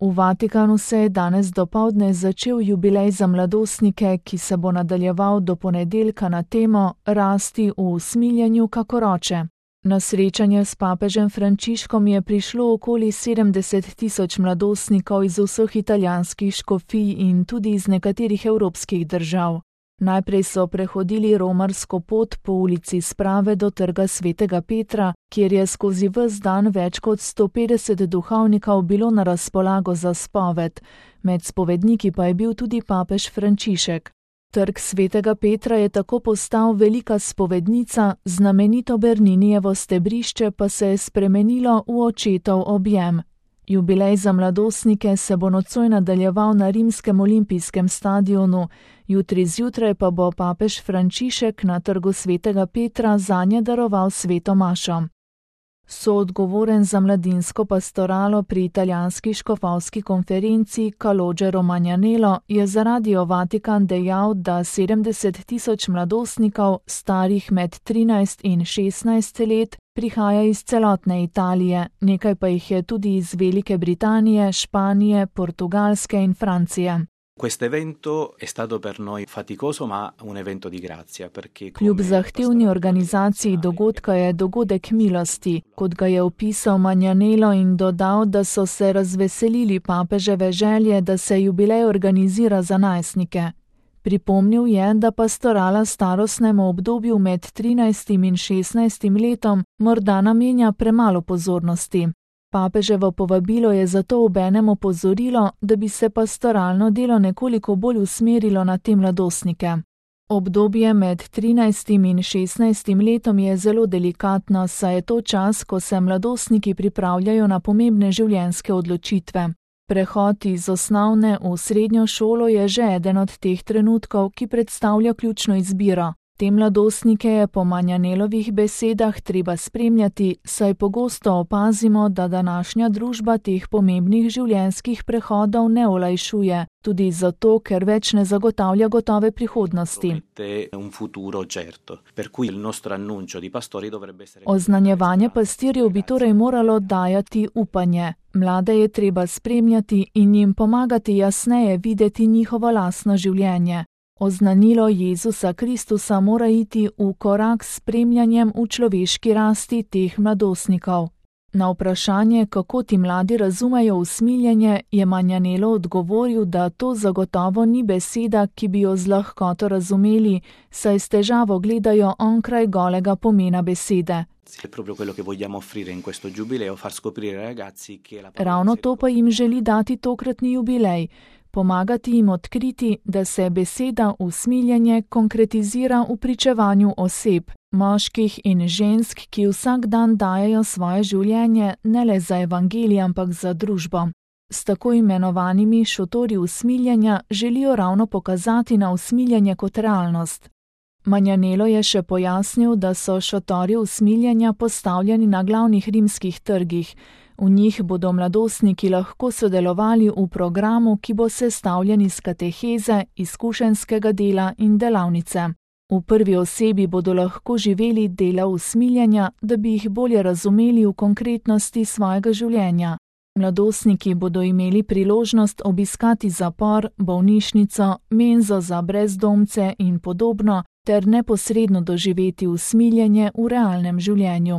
V Vatikanu se je danes dopoldne začel jubilej za mladostnike, ki se bo nadaljeval do ponedeljka na temo Rasti v usmiljenju kakor oče. Na srečanje s papežem Frančiškom je prišlo okoli 70.000 mladostnikov iz vseh italijanskih škofij in tudi iz nekaterih evropskih držav. Najprej so prehodili romarsko pot po ulici Sprave do trga Svetega Petra, kjer je skozi ves dan več kot 150 duhovnikov bilo na razpolago za spoved. Med spovedniki pa je bil tudi papež Frančišek. Trg Svetega Petra je tako postal velika spovednica, znamenito Berninijevo stebrišče pa se je spremenilo v očetov objem. Jubilej za mladostnike se bo nocoj nadaljeval na rimskem olimpijskem stadionu, jutri zjutraj pa bo papež Frančišek na trgu Svetega Petra zanje daroval sveto mašo. Soodgovoren za mladinsko pastoralo pri italijanski škofovski konferenci Calogero Magnanello je za Radio Vatikan dejal, da 70.000 mladostnikov, starih med 13 in 16 let, prihaja iz celotne Italije, nekaj pa jih je tudi iz Velike Britanije, Španije, Portugalske in Francije. Kljub zahtevni organizaciji dogodka je dogodek milosti, kot ga je opisal Magnanello in dodal, da so se razveselili papeževe želje, da se jubilej organizira za najstnike. Pripomnil je, da pastorala starostnemu obdobju med 13 in 16 letom morda namenja premalo pozornosti. Papeževo povabilo je zato obenem opozorilo, da bi se pastoralno delo nekoliko bolj usmerilo na te mladostnike. Obdobje med 13 in 16 letom je zelo delikatno, saj je to čas, ko se mladostniki pripravljajo na pomembne življenjske odločitve. Prehod iz osnovne v srednjo šolo je že eden od teh trenutkov, ki predstavlja ključno izbiro. Te mladostnike je po Magnanellovih besedah treba spremljati, saj pogosto opazimo, da današnja družba teh pomembnih življenjskih prehodov ne olajšuje, tudi zato, ker več ne zagotavlja gotove prihodnosti. Oznanjevanje pastirjev bi torej moralo dajati upanje. Mlade je treba spremljati in jim pomagati jasneje videti njihovo lastno življenje. Oznanilo Jezusa Kristusa mora iti v korak s spremljanjem v človeški rasti teh mladostnikov. Na vprašanje, kako ti mladi razumejo usmiljenje, je Magnanello odgovoril, da to zagotovo ni beseda, ki bi jo z lahkoto razumeli, saj s težavo gledajo onkraj golega pomena besede. Ravno to pa jim želi dati tokratni jubilej. Pomagati jim odkriti, da se beseda usmiljenje konkretizira v pričevanju oseb, moških in žensk, ki vsak dan dajejo svoje življenje ne le za evangelij, ampak za družbo. S tako imenovanimi šotori usmiljenja želijo ravno pokazati na usmiljenje kot realnost. Magnanello je še pojasnil, da so šotori usmiljenja postavljeni na glavnih rimskih trgih. V njih bodo mladostniki lahko sodelovali v programu, ki bo sestavljen iz kateheze, izkušenjskega dela in delavnice. V prvi osebi bodo lahko živeli dela usmiljenja, da bi jih bolje razumeli v konkretnosti svojega življenja. Mladostniki bodo imeli priložnost obiskati zapor, bolnišnico, menzo za brezdomce in podobno, ter neposredno doživeti usmiljenje v realnem življenju.